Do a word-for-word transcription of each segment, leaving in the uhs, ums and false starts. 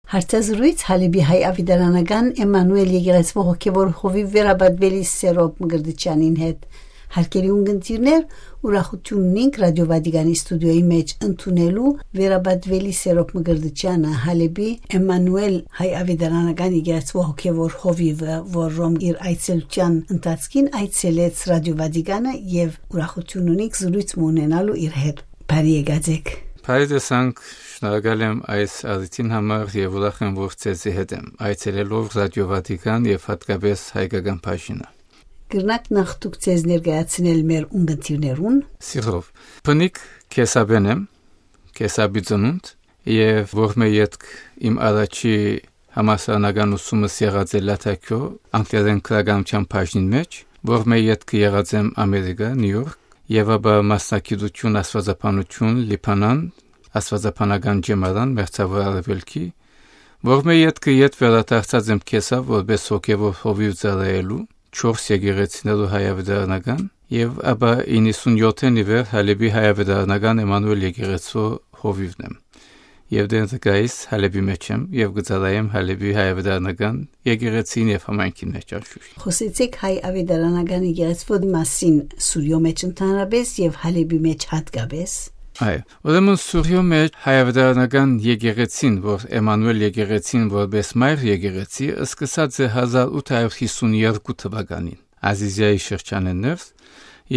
Հարցազրոյց Հալէպի հայ աւետարանական Էմմանուէլ եկեղեցւոյ հոգեւոր հովիւ վերապատուելի Սերոբ Մկրտչեանին հետ։ Հարգելի ունկնդիրներ, ուրախութիւն ունինք Ռադիո Վատիկանի ստուդիոյի մէջ ընդունելու վերապատուելի Սերոբ Մկրտչեանը, Հալէպի Էմմանուէլ հայ աւետարանական եկեղեցւոյ հոգեւոր հովիվը, որ Ռոմ իր այցելութեան ընթացքին այցելեց Ռադիո Վատիկանը եւ ուրախութիւն ունինք զրոյց մը ունենալու իր հետ։ Բարի եկած էք։ Բարի տեսանք, շնորհակալ եմ այս առիթին համար եւ ուրախ եմ, որ ձեզի հետ եմ, այցելելով Ռադիո Վատիկան եւ յատկապես հայկական բաժինը։ Կրնա՞ք նախ դուք ձեզ ներկայացնել մեր ունկնդիրներուն։ Սիրով։ Բնիկ Քեսապէն եմ, Քեսապի ծնունդ, եւ որ մէ ետք իմ առաջի համալսարանական ուսումս եղած է Լաթաքիոյ, անգլերէն գրականութեան բաժնին մէջ, որ մէ ետքը եղած եմ Ամերիկա, Նիու Յորք, եւ ապա մասնագիտութիւն աստուածաբանութիւն Լիբանան, աստուածաբանական ջեմարան, մերձաւոր արեւելքի, որ մէ ետքը ետ վերադարձած եմ Քեսապ որպէս հոգեւոր հովիւ ծառայելու, չորս եկեղեցիներու հայ աւետարանական, եւ ապա իննսունյոթ ի վեր Հալէպի հայ աւետարանական Էմմանուէլ եկեղեցու հովիւն եմ։ Եւ դեռ գայիս Հալէպի մէջ եմ եւ կը ծառայեմ Հալէպի հայ աւետարանական եկեղեցին եւ համայնքին մէջ անշուշտ։ Խօսեցէք հայ աւետարանական եկեղեցու մասին Սուրիոյ մէջ ընդհանրապէս եւ Հալէպի մէջ յատկապէս։ Այո, ուրեմն Սուրիոյ մէջ հայ աւետարանական եկեղեցին, որ Էմմանուէլ եկեղեցին որպէս մայր եկեղեցի, սկսած է հազար ութ հարիւր յիսուն երկու թուականին, Ազիզիայի շրջանէն ներս,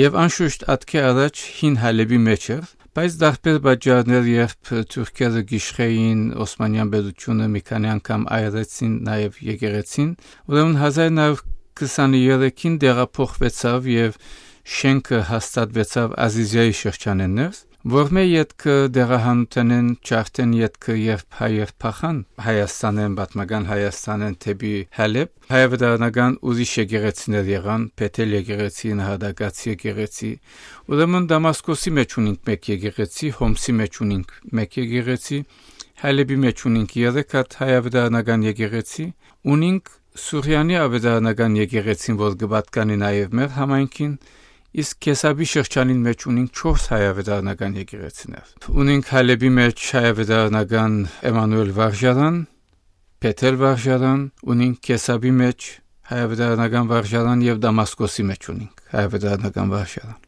եւ անշուշտ ատկէ առաջ հին Հալէպի մէջ էր, բայց տարբեր պատճառներ, երբ թուրքերը գիշխէին, Օսմանեան պետութիւնը մի քանի անգամ այրեցին նաեւ եկեղեցին, ուրեմն հազար նոյ հարիւր քսաններեքին տեղափոխուեցաւ եւ շէնքը հաստատուեցաւ Ազիզիայի շրջանէն ներս, որ մէ ետքը դեղահանութենէն ջարդեն ետքը, երբ հայեր փախան Հայաստանէն, պատմական Հայաստանէն դէպի Հալէպ, հայ աւետարանական ուրիշ եկեղեցիներ եղան, Բեթել եկեղեցի, Նահատակաց եկեղեցի, ուրեմն Դամասկոսի մէջ ունինք մէկ եկեղեցի, Հոմսի մէջ ունինք մէկ եկեղեցի, Հալէպի մէջ ունինք երեք հատ հայ աւետարանական եկեղեցի, ունինք Սուրիանի աւետարանական եկեղեցին, որ կը պատկանի նաեւ մեր համայնքին, իսկ Քեսապի շրջանին մէջ ունինք չորս հայ աւետարանական եկեղեցիներ։ Ունինք Հալէպի մէջ հայ աւետարանական Էմմանուէլ վարժարան, Բեթել վարժարան, ունինք Քեսապի մէջ հայ աւետարանական վարժարան եւ Դամասկոսի մէջ ունինք հայ աւետարանական վարժարան։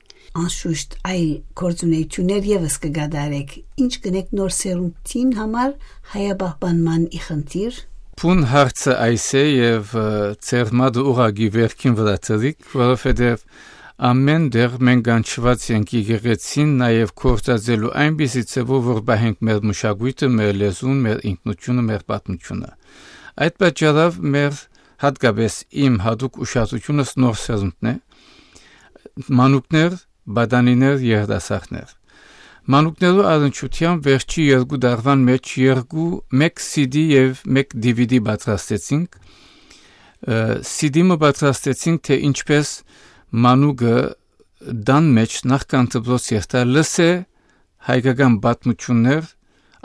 Անշուշտ այլ գործունեութիւններ եւս կը կատարէք։ Ի՞նչ կ'ընէք նոր սերունդին համար հայապահպանման ի խնդիր։ Բուն հարցը այս է եւ, ը, ձեր մատը ուղղակի վերքին վրայ դրիք, որովհետեւ ամէն տեղ մենք կանչուած ենք եկեղեցին նաեւ գործածելու այնպիսի ձեւով, որ պահենք մեր մշակոյթը, մեր լեզուն, մեր ինքնությունը, մեր պատմությունը։ Այդ պատճառով մեր, հատկապես իմ յատուկ ուշադրությունս նոր սերունդն է, մանուկներ, պատանիներ, երիտասարդներ։ Մանուկներու առնչութեան վերջի երկու տարուան մէջ երկու, մէկ C D եւ մէկ D V D պատրաստեցինք։ Ը, C D մը պատրաստեցինք, թե ինչպես մանուկը տան մէջ նախքան դպրոց երթայ լսէ հայկական պատմութիւններ,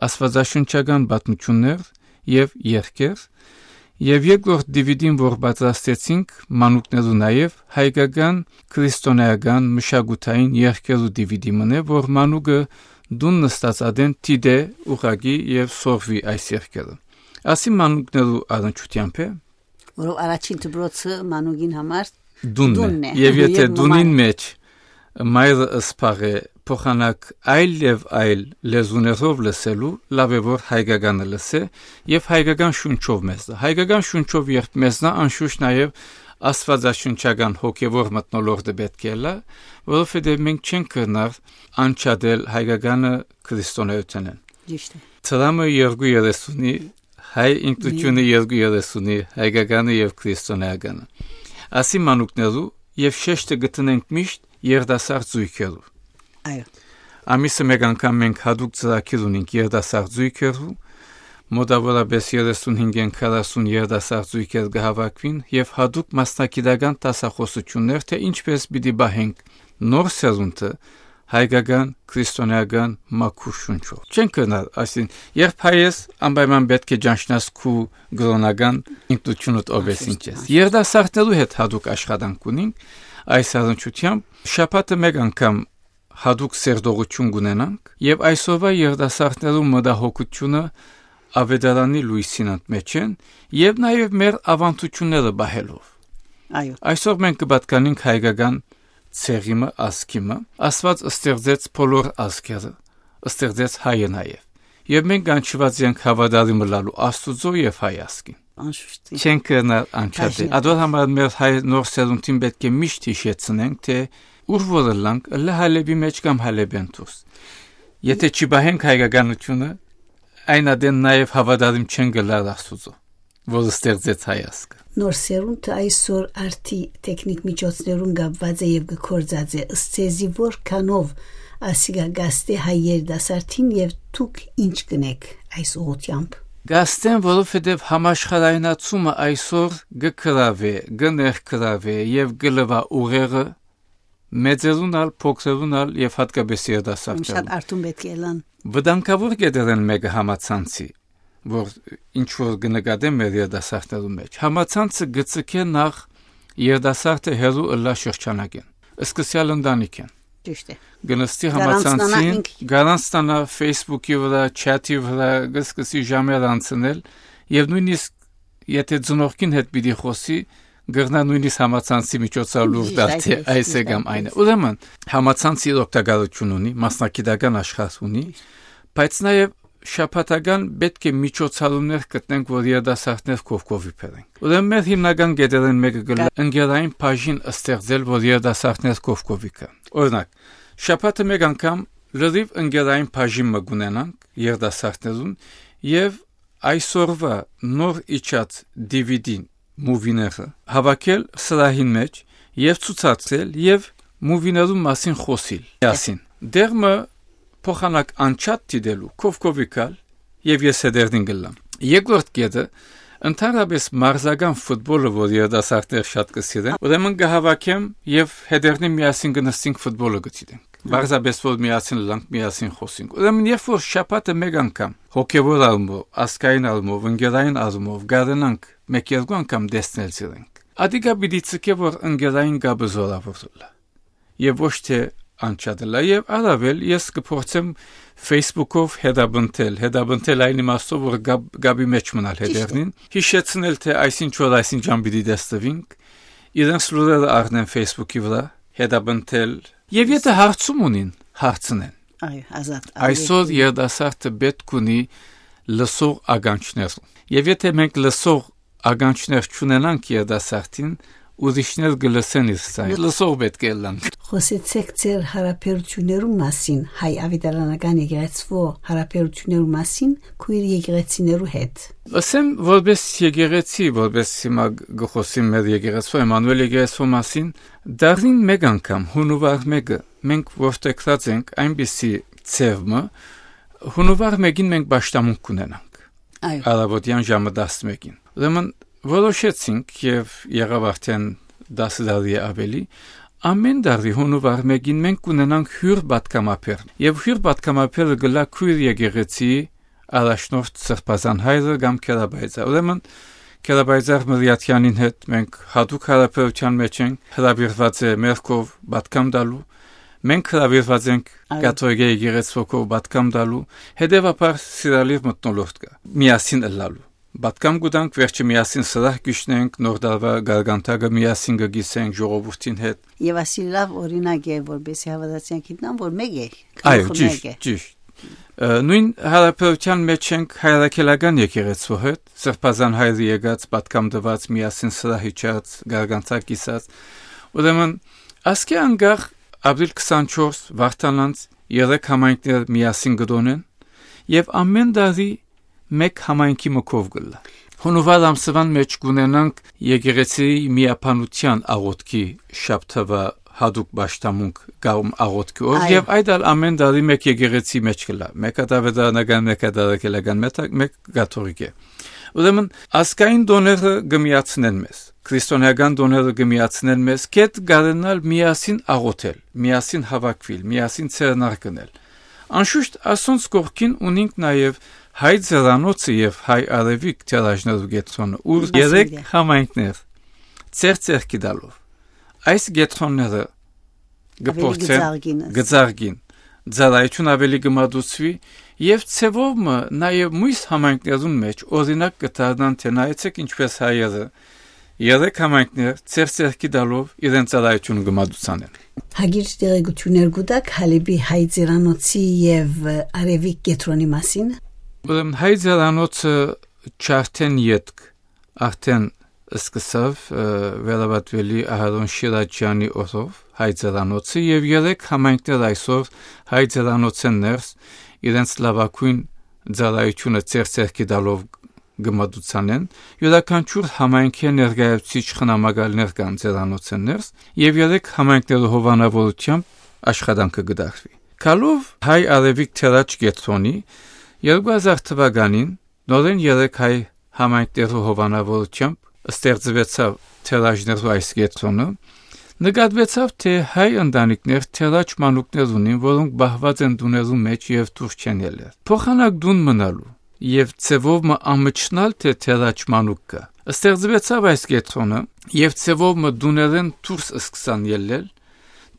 աստուածաշնչական պատմութիւններ եւ երգեր, եւ երկրորդ D V D-ն, որ պատրաստեցինք մանուկներու, նաեւ հայկական քրիստոնէական մշակութային երգերու D V D մըն է, որ մանուկը տուն նստած ատեն դիտէ ուղղակի եւ սորվի այս երգերը։ Ասի մանուկներու առնչութեամբ է։ Որով առաջին դպրոցը մանուկին համար տունն է։ Տունն է։ Եւ եթե Երբ տունին մայր- մեջ մայրը սպաղ է փոխանակ այլ եւ այլ լեզուներով լսելու, լաւ է որ հայկականը լսե եւ հայկական շունչով մեզնա։ Հայկական շունչով երբ մեզնա, անշուշտ նաեւ աստվածաշնչական հոգեվոր մթնոլորտը պէտք է լա, որովհետեւ մենք չենք կրնար անջատել հայկականը քրիստոնեութենէն։ Ճիշտ է։ Ծրամը երկու երեսունի, հայ ինքնությունը երկու երեսունի, հայկականը եւ քրիստոնեականը։ Ասի մանուկներու եւ շեշտը գտնենք միշտ երիտասարդ զույգերու։ Այո։ Ամիսը մեկ անգամ մենք հատուկ ծրագիր ունենք երիտասարդ զույգերու, մոտավորապես երեսունհինգէն քառասուն երիտասարդ զույգեր կը հավաքուին եւ հատուկ մասնագիտական դասախոսութիւններ, թե ինչպես պիտի պահենք նոր սերունդը հայկական, քրիստոնեական մաքուր շունչով։ Չեն կրնար, այսինքն, երբ հայ ես, անպայման պէտք է ճանչնաս քու կրոնական ինքնությունդ ով ես, ինչ ես։ Երիտասարդներու հետ հատուկ աշխատանք ունենք այս առնչությամբ։ Շաբաթը մեկ անգամ հատուկ սերտողութիւն կունենանք եւ այսօրվա երիտասարդներու մտահոգությունը Աւետարանի լոյսին ընդմէջէն եւ նաեւ մեր աւանդութիւնները պահելով։ Այո։ Այսօր մենք կը պատկանենք հայկական ցեղի մը, ազգի մը, Աստուած ստեղծեց բոլոր ազգերը, ստեղծեց հայը նաեւ։ Եւ մենք կանչուած ենք հաւատարիմ ըլլալու Աստուծոյ եւ հայ ազգին։ Անշուշտ։ Չենք կրնար անջատել։ Բաժին։ Ադոր համար մեր հայ նոր սերունդին պէտք է միշտ յիշեցնենք, թէ ուր որ ըլլանք, ըլլայ Հալէպի մէջ կամ Հալէպէն դուրս։ Եթե չի պահենք հայկականութիւնը, այն ատեն նաեւ հաւատարիմ չեն կլար Աստուծոյ, որ ստեղծեց հայ ազգը։ Նոր սերունդը այսօր արդի տեխնիկ միջոցներուն կապուած է եւ կը գործածէ, ըստ ձեզի որքանով ասիկա կաստէ հայ երիտասարդին եւ դուք ինչ կնեք այս ուղղութեամբ։ Կաստեն, որովհետեւ համաշխարհայնացումը այսօր կը գրաւէ, կը ներգրաւէ եւ կը լուայ ուղեղը մեծերուն ալ, փոքրերուն ալ եւ յատկապես երիտասարդներուն։ Շատ արթուն պէտք է ըլլան։ Վտանգաւոր կետերէն մէկը համացանցի, որ ինչ որ կը նկատեմ մեր երիտասարդներուն մէջ։ Համացանցը կը ձգէ նախ երիտասարդը հեռու ըլլայ շրջանակէն, սկսեալ ընտանիքէն։ Ճիշդ է։ Կը նստի գարանցնանա համացանցին, ինք։ Գարանցնանա Facebook-ի վրայ, չաթի վրայ, կը սկսի ժամեր անցնել եւ նոյնիսկ եթե ծնողքին հետ պիտի խօսի, կրնայ նոյնիսկ համացանցի միջոցով լուր Ճիշտ, տալ, այս թէ է, այս է ճիշտ, կամ այս այն է։ է։ Ուրեմն, համացանցը իր օգտակարութիւն ունի, մասնագիտական աշխարհ ունի, բայց նաեւ շաբաթական պէտք է միջոցառումներ գտնենք, որ երիտասարդներ կողքովի բերենք։ Ուրեմն մեր հիմնական կետերէն մէկը կը լա Կա- ընկերային բաժին ստեղծել, որ երիտասարդներ կողքովի գան։ Օրինակ, շաբաթը մէկ անգամ լրիվ ընկերային բաժին մը կունենանք երիտասարդներուն եւ այսօրվա նոր իջած D V D-ն, մուվիները հավաքել սրահին մէջ եւ ցուցադրել եւ մուվիներուն մասին խօսիլ միասին։ Դեր մը փոխանակ անջատ դիտելու, կողքովի գալ եւ ես հետերնին կլամ։ Երկրորդ կետը, ընդհանրապես մարզական ֆուտբոլը, որ երիտասարդներ շատ կը սիրեն, ուրեմն կը հավաքեմ եւ հետերնին միասին կը նստենք ֆուտբոլը կը դիտենք։ Պարզապես որ միասին լանք, միասին խօսենք։ Ուրեմն երբ որ շաբաթը մէկ անգամ հոգեվոր առումով, ազգային առումով, ընկերային առումով կարենանք մէկ երկու անգամ տեսնել զիրենք, ադիկա պիտի ցկէ որ ընկերային կապը զորաւոր ըլլայ եւ ոչ թէ անջատ ըլլայ։ Եւ առաւել ես կը փորձեմ Facebook-ով հետապնդել, հետապնդել այն իմաստով որ կապ-, կապի մէջ մնալ Ճիշդ է։ Հետերնին, յիշեցնել թէ այսինչ օր այսինչան պիտի տեսնուինք, իրենց լուրերը առնեն Facebook-ի վրայ, հետապնդել եւ եթե հարցում ունին, հարցնեն։ Այո, ազատ։ Այսօր Ալեքսեյ։ Երիտասարդը պէտք ունի լսող ականջներ։ Եւ եթե մենք լսող ականջներ չունենանք երիտասարդին, ուրիշներ կը լսեն իր ձայնը։ Լսող պէտք է ըլլանք։ Խօսեցէք ձեր յարաբերութիւններու մասին, հայ աւետարանական եկեղեցւոյ յարաբերութիւններու մասին, քոյր եկեղեցիներու հետ։ Ասեմ, որպես եկեղեցի, որպես հիմա գ-, գը խօսիմ մեր եկեղեցու, Էմանուել եկեղեցու մասին, դարին մէկ անգամ, հունուար մէկը, մենք որդեգրած ենք այնպիսի ձև մը, հունուար մէկին մենք պաշտամունք կունենանք։ Այո։ Առավոտեան ժամը տասնմէկին։ Ուրեմն որոշեցինք եւ եղաւ արդեն տասը տարի է ավելի, ամեն տարի հունուար մէկին մենք կունենանք հիւր պատգամաբեր։ Եւ հիւր պատգամաբերը կլա քոյր եկեղեցի առաջնորդ Սրբազան հայրը կամ Քերաբայծա։ Ուրեմն Քերաբայծար Մրիաթյանին հետ մենք հատուկ յարաբերութեան մէջ ենք, հրավիրված է մեր քով պատգամ տալու։ Մենք հրավիրված ենք Այո։ Կաթողիկե եկեղեցու քով պատգամ տալու, հետեւաբար սիրալիր մթնոլորտ կա, միասին ըլլալու։ Պատգամ կու տանք, վերջը միասին սրահ կ'իջնենք, նոր տարուայ գարգանտակը միասին կը կիսենք ժողովուրդին հետ։ Եւ ասի լաւ օրինակ է, որպեսզի հաւատացեան գիտնան, որ մէկ է, Այո, գլուխը ճիշտ, մէկ է։ Ճիշտ։ Ը, նոյն յարաբերութեան մէջ ենք հայրաքելական եկեղեցու հետ, Սրբազան հայրը եկած, պատգամ տուած, միասին սրահ իջած, գարգանտակ կիսած։ Ուրեմն, ասկէ անկախ ապրիլ քսանչորս Վարդանանց երեք համայնքներ միասին կը տոնեն եւ ամեն տարի մէկ համայնքի մը քով կ'ըլլայ։ Հունուար ամսուան մէջ կ'ունենանք եկեղեցիի միաբանութեան աղօթքի շաբթավայրի հատուկ պաշտամունք կամ աղօթքի օր Այո։ Եւ այդ ալ ամեն տարի մէկ եկեղեցի մէջ կ'ըլլայ, մէկ ատավետարանական, մէկ ատարակելական, մէկ, մէկ կաթողիկէ։ Ուրեմն ազգային տոները կը միացնեն մեզ, քրիստոնեական տոները կը միացնեն մեզ, կետ կարենալ միասին աղօթել, միասին հաւաքուիլ, միասին ձեռնարկնել։ Անշուշտ ասոնց կողքին ունինք նաեւ հայ ձեռանոցը եւ հայ արեւիկ թերաժներու կեդրոնը, ուր երեք համայնքներ ձեռք ձեռքի տալով այս կեդրոնները կը փորձեն, կը զարգին, ծառայություն ավելի կը մատուցուի Եւ ձեւով մը նաեւ միւս համայնքներուն մէջ օրինակ կը դառնան, թէ նայեցէք ինչպէս հայերը երեք համայնքներ ձեր ձեռքի տալով իրենց ծառայութիւնը կը մատուցանեն։ Հագիր տեղեկութիւններ կու տաք Հալէպի հայ ծերանոցի եւ Արեւիկ կեդրոնի մասին։ Ուրեմն հայ ծերանոցը չարդեն ետք արդեն սկսաւ, ը, վերաբատուելի Ահարոն Շիրաջյանի օրով հայ ծերանոցը, եւ երեք համայնքներ այսօր հայ ծերանոցէն ներս իրենց լաւագոյն ծառայութիւնը ձեր ձեռքի տալով կը մատուցանեն։ Իւրաքանչիւր համայնքի ներկայացուցիչ խնամակալներ կան ծերանոցէն ներս, եւ երեք համայնքներու հովանաւորութեամբ աշխատանքը կը դարվի։ Գալով հայ Արեւիկ թերաջ կեդրոնի, երկու հազար թուականին նորէն երեք հայ համայնքներու հովանաւորութեամբ ստեղծուեցաւ թերաջներու այս կեդրոնը, նկատուեցաւ, թէ հայ ընտանիքներ թերաջ մանուկներ ունին, որոնք պահուած են տուներու մէջ եւ դուրս չեն ելլեր։ Փոխանակ տուն մնալու եւ ձեւով մը ամչնալ, թէ թերաջ մանուկ կայ։ Ստեղծուեցաւ այս կեդրոնը եւ ձեւով մը տուներէն դուրս սկսան ելլել,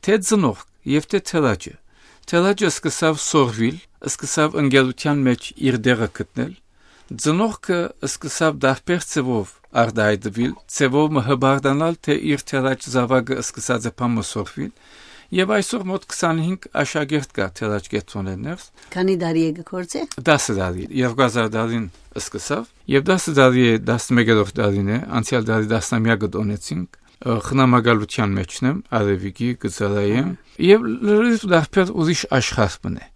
թէ ծնողք եւ թէ թերաջը։ Թերաջը սկսաւ սորվիլ, սկսաւ ընկերութեան մէջ իր տեղը գտնել, ծնողքը սկսաւ տարբեր ձեւով արտայայտուիլ, ձեւով մը հպարտանալ, թէ իր թերաջ զաւակը սկսած է բան մը սորվիլ, եւ այսօր մօտ քսանհինգ աշակերտ կայ թերաջ կեդրոնէն ներս։ Քանի՞ տարի է կը գործէ։ Դասը տարի, երկու հազար տարին սկսաւ, եւ դասը տարի է, տասնմեկերորդ տարին է, անցեալ տարի տասնամեակը տօնեցինք, ը, խնամակալութեան մէջն եմ, Արեւիկի կը ծառայեմ, եւ լրիվ տարբեր ուրիշ աշխարհ մը է,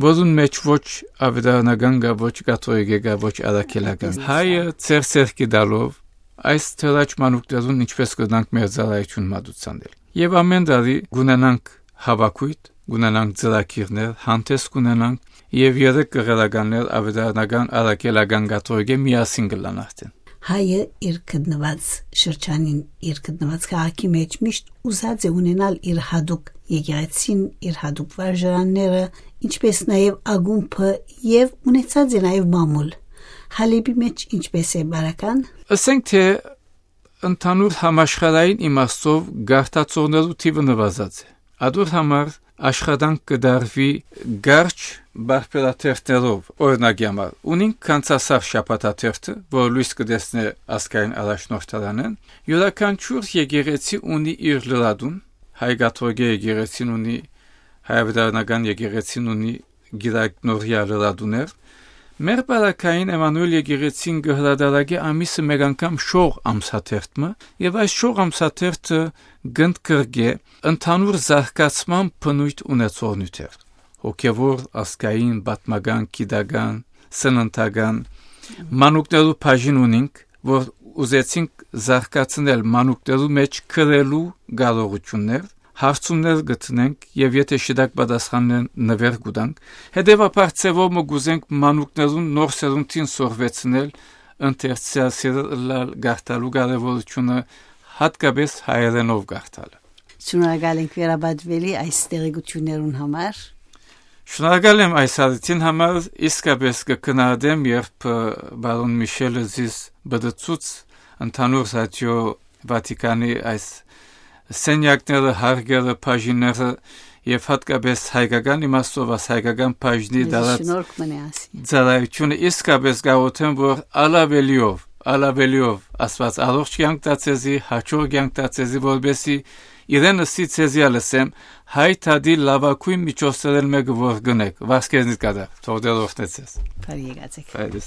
որուն մէջ ոչ աւետարանական կայ, ոչ կաթողիկէ կայ, ոչ առաքելական։ Հայը ձեր ձեռքի տալով այս թերաջ մանուկներուն ինչպէս կրնանք մեր ծառայութիւն մատուցանել։ Եւ ամէն տարի կունենանք հաւաքոյթ, կունենանք ծրագիրներ, հանդէս կունենանք, եւ երեք կղերականներ աւետարանական, առաքելական, կաթողիկէ միասին կ'ըլլան արդեն։ Հայը իր գտնուած շրջանին, իր գտնուած քաղաքի մէջ միշտ ուզած է ունենալ իր յատուկ եկեղեցին, իր յատուկ վարժարանները, ինչպէս նաեւ ակումբը, եւ ունեցած է նաեւ մամուլ։ Հալէպի մէջ ինչպէս է, Բարական։ Ըսենք թէ ընդհանուր համաշխարհային իմաստով գարթացողներու թիւը նուազած է։ Ատոր համար աշխատանք կը դարուի կարճ բարբերաթերթներով, օրինակի համար, ունինք Գանձասար շաբաթաթերթը, որ լոյս կը տեսնէ ազգային առաջնորդարանէն։ Իւրաքանչիւր եկեղեցի ունի իր լրատուն, հայ կաթողիկէ եկեղեցին ունի, հայ աւետարանական եկեղեցին ունի կիրակնօրեայ լրատուներ։ Մեր պարագային Էմմանուէլ եկեղեցին կը հրատարակէ ամիսը մէկ անգամ շող ամսաթերթ մը, եւ այս շող ամսաթերթը կ'ընդգրկէ ընդհանուր զարգացման բնոյթ ունեցող նիւթեր, հոգեւոր, ազգային, պատմական, գիտական, սննդական, մանուկներու բաժին ունինք, որ ուզեցինք զարգացնել մանուկներու մէջ գրելու կարողութիւններ, հարցումներ գտնենք եւ եթէ շիտակ պատասխաններն, նուեր կու տանք։ Հետեւաբար ձեւով մը կ'ուզենք մանուկներուն նոր սերունդին սորվեցնել, ընթերցեալ, սիրել ըլլալ, կարդալու կարեւորութիւնը, յատկապէս հայերէնով կարդալը։ Շնորհակալ ենք վերաբատուելի այս տեղեկութիւններուն համար։ Շնորհակալ եմ այս առիթին համար, իսկապէս կը գնահատեմ, երբ, ը, բարոն Միշելը զիս բդցուց ընդհանուր ռադիո Վատիկանի այս սենյակները, հարկերը, բաժինները, եւ յատկապէս հայկական իմաստով աս հայկական բաժնի Մեզի դարած շնորհք մնե ասի։ Ծառայութիւնը, իսկապէս կաղոթեմ, որ ալավելիով, ալավելիով Աստուած առողջ կեանք տայ ձեզի, յաջող կեանք տայ ձեզի, որպեսզի իրեն ըսի, ձեզի ալ ըսեմ, հայ դատի լաւագոյն միջոցներէն մէկը որ կ'ընէք, վասկեզնից կատակ, թող Տէր օրհնէ ձեզ։ Բարի եկած եք։ Բարի